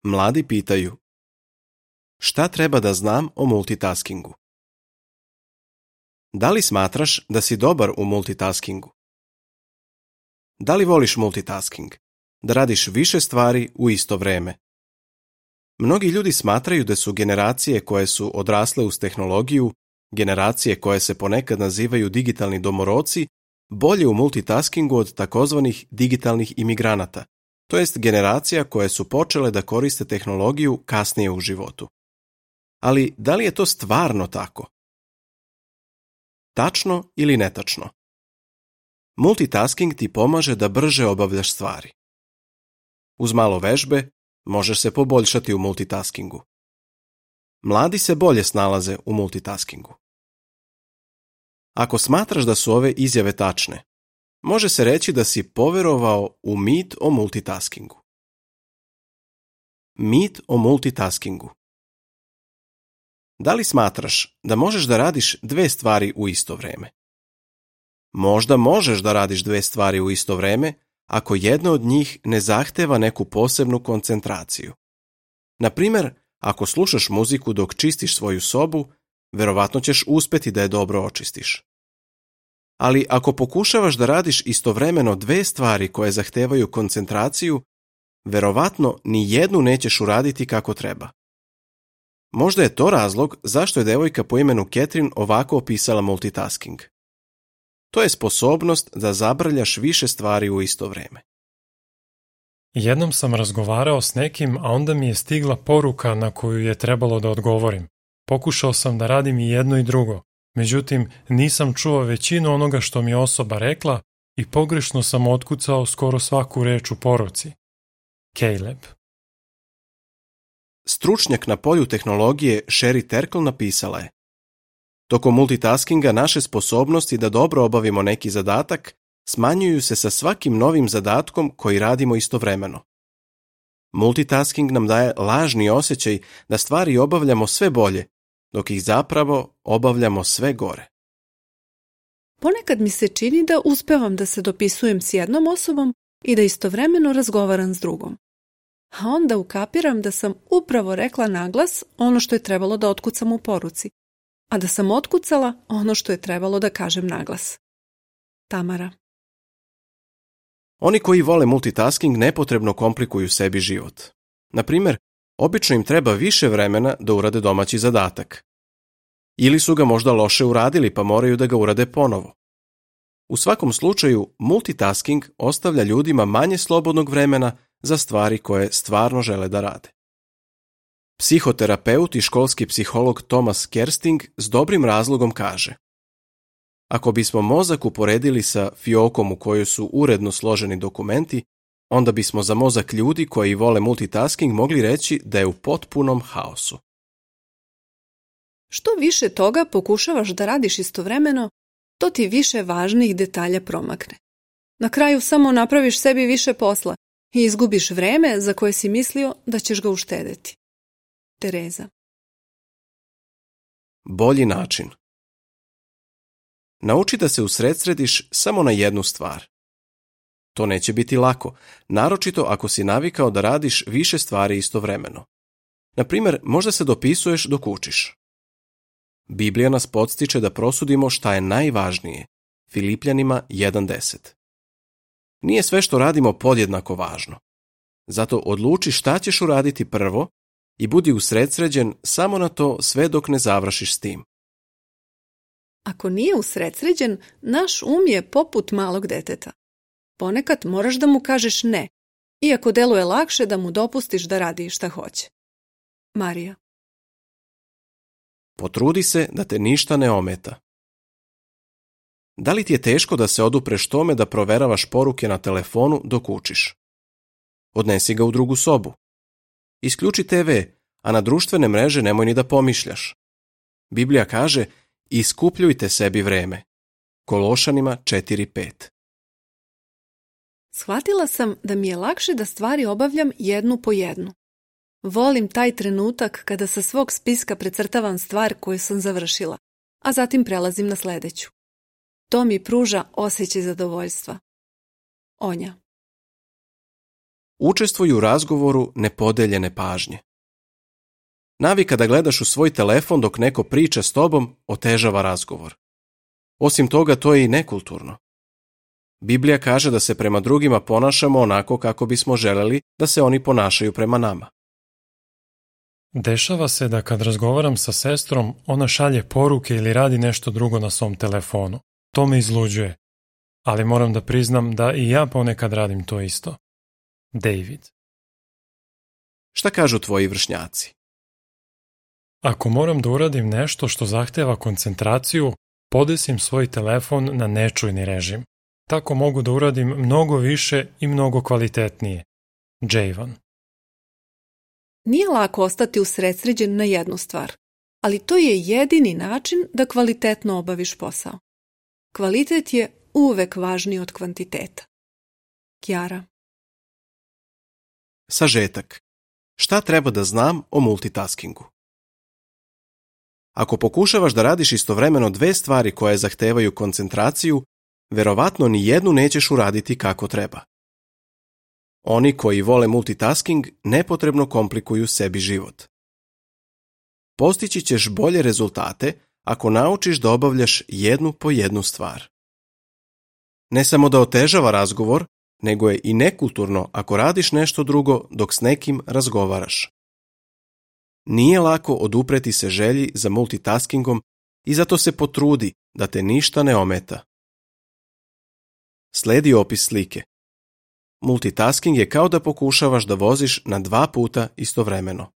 Mladi pitaju: šta treba da znam o multitaskingu? Da li smatraš da si dobar u multitaskingu? Da li voliš multitasking? Da radiš više stvari u isto vreme? Mnogi ljudi smatraju da su generacije koje su odrasle uz tehnologiju, generacije koje se ponekad nazivaju digitalni domoroci, bolje u multitaskingu od takozvanih digitalnih imigranata, to jest generacija koje su počele da koriste tehnologiju kasnije u životu. Ali da li je to stvarno tako? Tačno ili netačno? Multitasking ti pomaže da brže obavljaš stvari. Uz malo vežbe možeš se poboljšati u multitaskingu. Mladi se bolje snalaze u multitaskingu. Ako smatraš da su ove izjave tačne, može se reći da si poverovao u mit o multitaskingu. Mit o multitaskingu. Da li smatraš da možeš da radiš dve stvari u isto vreme? Možda možeš da radiš dve stvari u isto vreme ako jedna od njih ne zahteva neku posebnu koncentraciju. Na primjer, ako slušaš muziku dok čistiš svoju sobu, verovatno ćeš uspeti da je dobro očistiš. Ali ako pokušavaš da radiš istovremeno dve stvari koje zahtevaju koncentraciju, verovatno ni jednu nećeš uraditi kako treba. Možda je to razlog zašto je devojka po imenu Catherine ovako opisala multitasking. To je sposobnost da zabrljaš više stvari u isto vreme. Jednom sam razgovarao s nekim, a onda mi je stigla poruka na koju je trebalo da odgovorim. Pokušao sam da radim i jedno i drugo, međutim nisam čuo većinu onoga što mi je osoba rekla i pogrešno sam otkucao skoro svaku reč u poruci. Caleb. Stručnjak na polju tehnologije Sherry Terkel napisala je: tokom multitaskinga naše sposobnosti da dobro obavimo neki zadatak smanjuju se sa svakim novim zadatkom koji radimo istovremeno. Multitasking nam daje lažni osjećaj da stvari obavljamo sve bolje, dok ih zapravo obavljamo sve gore. Ponekad mi se čini da uspevam da se dopisujem s jednom osobom i da istovremeno razgovaram s drugom. A onda ukapiram da sam upravo rekla naglas ono što je trebalo da otkucam u poruci, a da sam otkucala ono što je trebalo da kažem naglas. Tamara. Oni koji vole multitasking nepotrebno komplikuju sebi život. Na primjer, obično im treba više vremena da urade domaći zadatak. Ili su ga možda loše uradili pa moraju da ga urade ponovo. U svakom slučaju, multitasking ostavlja ljudima manje slobodnog vremena za stvari koje stvarno žele da rade. Psihoterapeut i školski psiholog Thomas Kersting s dobrim razlogom kaže: ako bismo mozak uporedili sa fiokom u kojoj su uredno složeni dokumenti, onda bismo za mozak ljudi koji vole multitasking mogli reći da je u potpunom haosu. Što više toga pokušavaš da radiš istovremeno, to ti više važnih detalja promakne. Na kraju samo napraviš sebi više posla i izgubiš vreme za koje si mislio da ćeš ga uštedeti. Tereza. Bolji način. Nauči da se usredsrediš samo na jednu stvar. To neće biti lako, naročito ako si navikao da radiš više stvari istovremeno. Na primjer, možda se dopisuješ dok učiš. Biblija nas podstiče da prosudimo šta je najvažnije. Filipljanima 1:10. Nije sve što radimo podjednako važno. Zato odluči šta ćeš uraditi prvo i budi usredsređen samo na to sve dok ne završiš s tim. Ako nije usredsređen, naš je poput malog deteta. Ponekad moraš da mu kažeš ne, iako deluje lakše da mu dopustiš da radi šta hoće. Marija. Potrudi se da te ništa ne ometa. Da li ti je teško da se odupreš tome da proveravaš poruke na telefonu dok učiš? Odnesi ga u drugu sobu. Isključi TV, a na društvene mreže nemoj ni da pomišljaš. Biblija kaže: iskupljujte sebi vreme. Kološanima 4:5. Shvatila sam da mi je lakše da stvari obavljam jednu po jednu. Volim taj trenutak kada sa svog spiska precrtavam stvar koju sam završila, a zatim prelazim na sledeću. To mi pruža osjećaj zadovoljstva. Onja. Učestvuj u razgovoru nepodeljene pažnje. Navika da gledaš u svoj telefon dok neko priča s tobom otežava razgovor. Osim toga, to je i nekulturno. Biblija kaže da se prema drugima ponašamo onako kako bismo želeli da se oni ponašaju prema nama. Dešava se da kad razgovaram sa sestrom, ona šalje poruke ili radi nešto drugo na svom telefonu. To me izluđuje. Ali moram da priznam da i ja ponekad radim to isto. David. Šta kažu tvoji vršnjaci? Ako moram da uradim nešto što zahteva koncentraciju, podesim svoj telefon na nečujni režim. Tako mogu da uradim mnogo više i mnogo kvalitetnije. Javan. Nije lako ostati usredsređen na jednu stvar, ali to je jedini način da kvalitetno obaviš posao. Kvalitet je uvek važniji od kvantiteta. Kjara. Sažetak. Šta treba da znam o multitaskingu? Ako pokušavaš da radiš istovremeno dve stvari koje zahtevaju koncentraciju, verovatno ni jednu nećeš uraditi kako treba. Oni koji vole multitasking nepotrebno komplikuju sebi život. Postići ćeš bolje rezultate ako naučiš da obavljaš jednu po jednu stvar. Ne samo da otežava razgovor, nego je i nekulturno ako radiš nešto drugo dok s nekim razgovaraš. Nije lako odupreti se želji za multitaskingom i zato se potrudi da te ništa ne ometa. Sledi opis slike. Multitasking je kao da pokušavaš da voziš na 2 puta istovremeno.